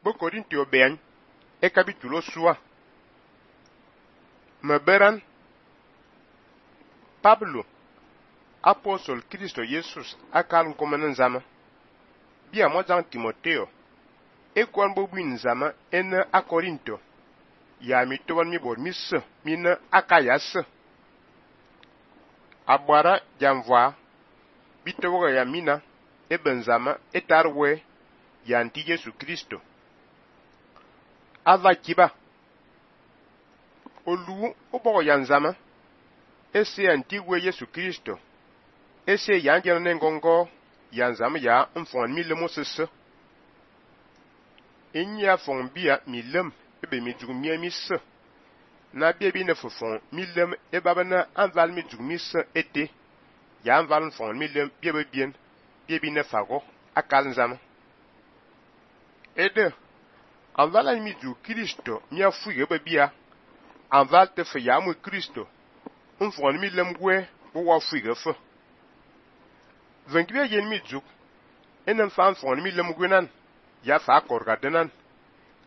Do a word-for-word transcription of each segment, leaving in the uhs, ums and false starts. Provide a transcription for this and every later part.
bo Korintio ben e capítulo sua. Meberan Pablo apóstol Cristo Jesus akal komanan zama. Bia mojang Timoteo e kwan bo buin zama en a Korinto. Ya mi toban mi bor mi se mi na akayas. Abara jamva bitoga ya mina e benzama e tarwe ya anti Yesu Kristo. Ava kiba olu obo yanzama ese antigwe Yesu Kristo ese yanjana nengongo yanzama ya mfon mi le mosese inya fon bia mi lem ebe mi jugumia mi se na bia bi ne fofon mi lem e babana anval mi jugumi se ete ya anval fon mi lem bia be bien bia bi ne fago akal nzama ede anval mi ju Kristo mi afuye be bia anval te fe ya mu Kristo mfon mi lem gwe bo wa fuye fe venkibia yen mi juk enen fan fon mi lem gwe nan ya fa korga denan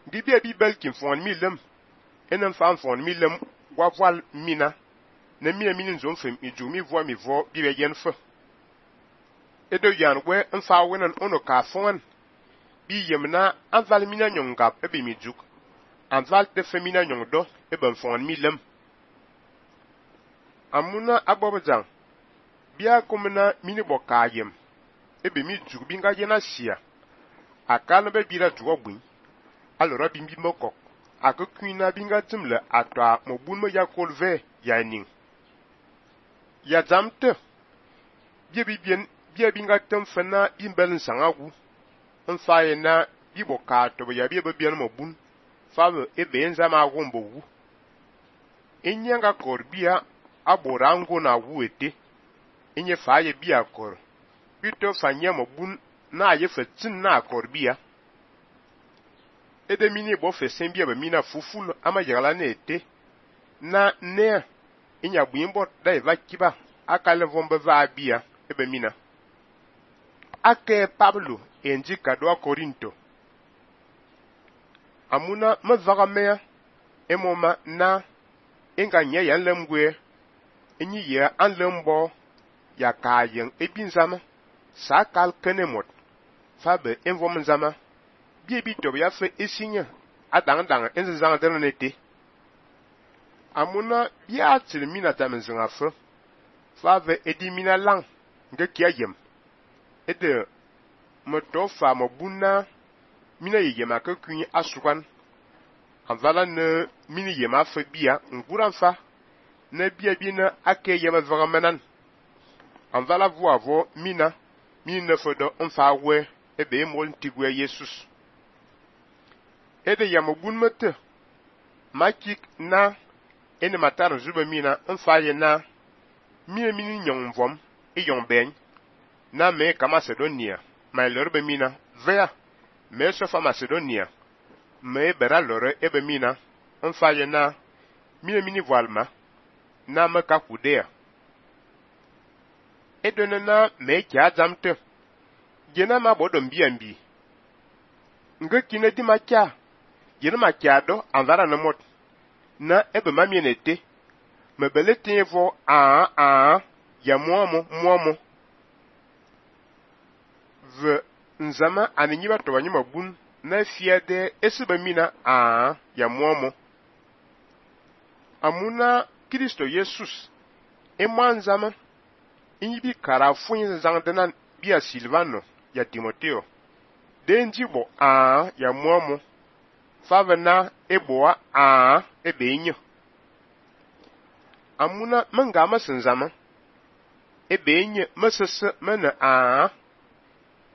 dibia bi belkin fon mi lem enen fan fon mi lem wa voal mina ne mi mini zon fem i ju mi vo mi vo bi be yen fe edo yan gwe mfa wenan ono ka fon bi yemna anval mina nyongap ebe mi juk anval te femina nyongdo ebe fon mi lem amuna abobjang bia komna mini bokayem ebe mi juk binga yena sia akal be bira juogbin alora bimbi mokok akuina binga timle atwa mobun mo yakol ve yaning ya zamte bia bibien bia binga tem fena bimbel sangagu mfaye na biboka to ya bia bibien mobun fawe ebe nzama agombo wu inyanga korbia aborango na wuete inye faye bia kor bito fanya mobun na ye fetin na korbia ede mini bo fesen bia be mina fuful ama yagala na ete na ne inya buimbo dai vakiba akale vombe va bia ebe mina ake Pablo enji kadwa Korinto amuna mavagame emoma na inga nya ya lemgwe enyi ya anlembo ya kayen ebinzama sakal kenemot fabe envom nzama bie bi to ya fe esinya adang dang enzang denete amuna bia tilmina tamenzanga fe fave edimina lang nge kiayem ede moto fa mobuna mina yema ka kun asukan anvala ne mini yema fe bia nguran fa ne bia bi na ake yema vagamanan anvala voavo mina mini ne fodo onfa we ebe mo ntigwe Jesus ede yamobun mete makik na ene matar zuba mina onfa ye na mini mini nyong vom e yong ben na me ka Macedonia ma lorbe mina vea me so fa Macedonia me bera lore ebe mina onfa ye na mini mini voilma na me ka Kudea edone na me kya jamte jena ma bodom biambi nge kine di makya jena makya do anvara na mot na ebe mamienete me belete vo a a ya momo momo ve nzama aninyiba to banyima bun na fiade esiba mina a ya momo amuna Kristo Jesus emanzama inyibi karafuin zangdenan bia Silvano ya Timoteo denjibo a ya momo favena eboa a ebenyo amuna mangama senzama ebenyo mesese mena a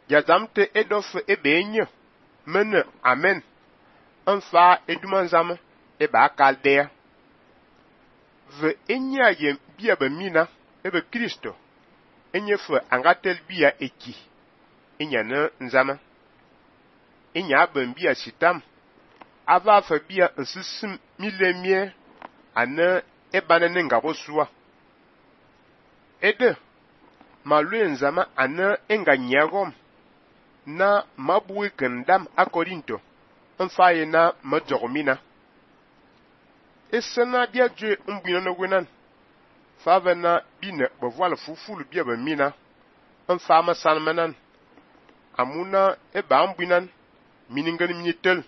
ya zamte edof ebenyo mena amen anfa edumanzama eba kaldea ve enya ye bia ba mina ebe Kristo enye fe angatel bia eki enya na nzama enya ban bia sitam ava fa bia nsisim milemie ana ebana ne ngabo suwa ede malue nzama ana enganyagom na mabui kendam a Korinto mfa ye na majogmina esena dia dwe mbwina no gwenan fa vena bine bovwala fufulu bia ba mina mfa ma sanmanan amuna e ba mbwinan miningan minitel